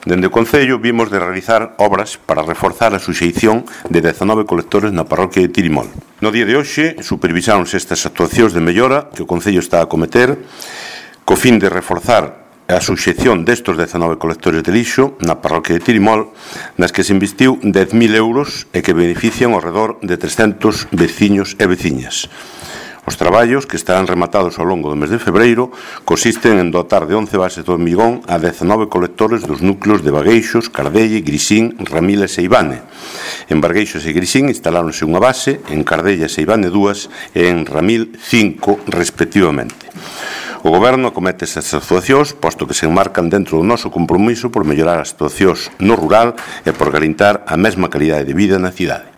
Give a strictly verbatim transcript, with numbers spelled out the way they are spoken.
Dende o Concello vimos de realizar obras para reforzar a suxeición de dezanove colectores na parroquia de Tirimol. No día de hoxe supervisáronse estas actuacións de mellora que o Concello está a cometer co fin de reforzar a suxeición destos dezanove colectores de lixo na parroquia de Tirimol, nas que se investiu dez mil euros e que benefician ao redor de trescentos veciños e veciñas. Os traballos, que estarán rematados ao longo do mes de febreiro, consisten en dotar de once bases de hormigón a dezanove colectores dos núcleos de Bagueixos, Cardelle, Grisín, Ramiles e Ibane. En Bagueixos e Grisín instaláronse unha base, en Cardelle e Ibane dúas e en Ramil cinco, respectivamente. O Goberno acomete estas actuacións, posto que se enmarcan dentro do noso compromiso por mellorar as situacións no rural e por garantir a mesma calidade de vida na cidade.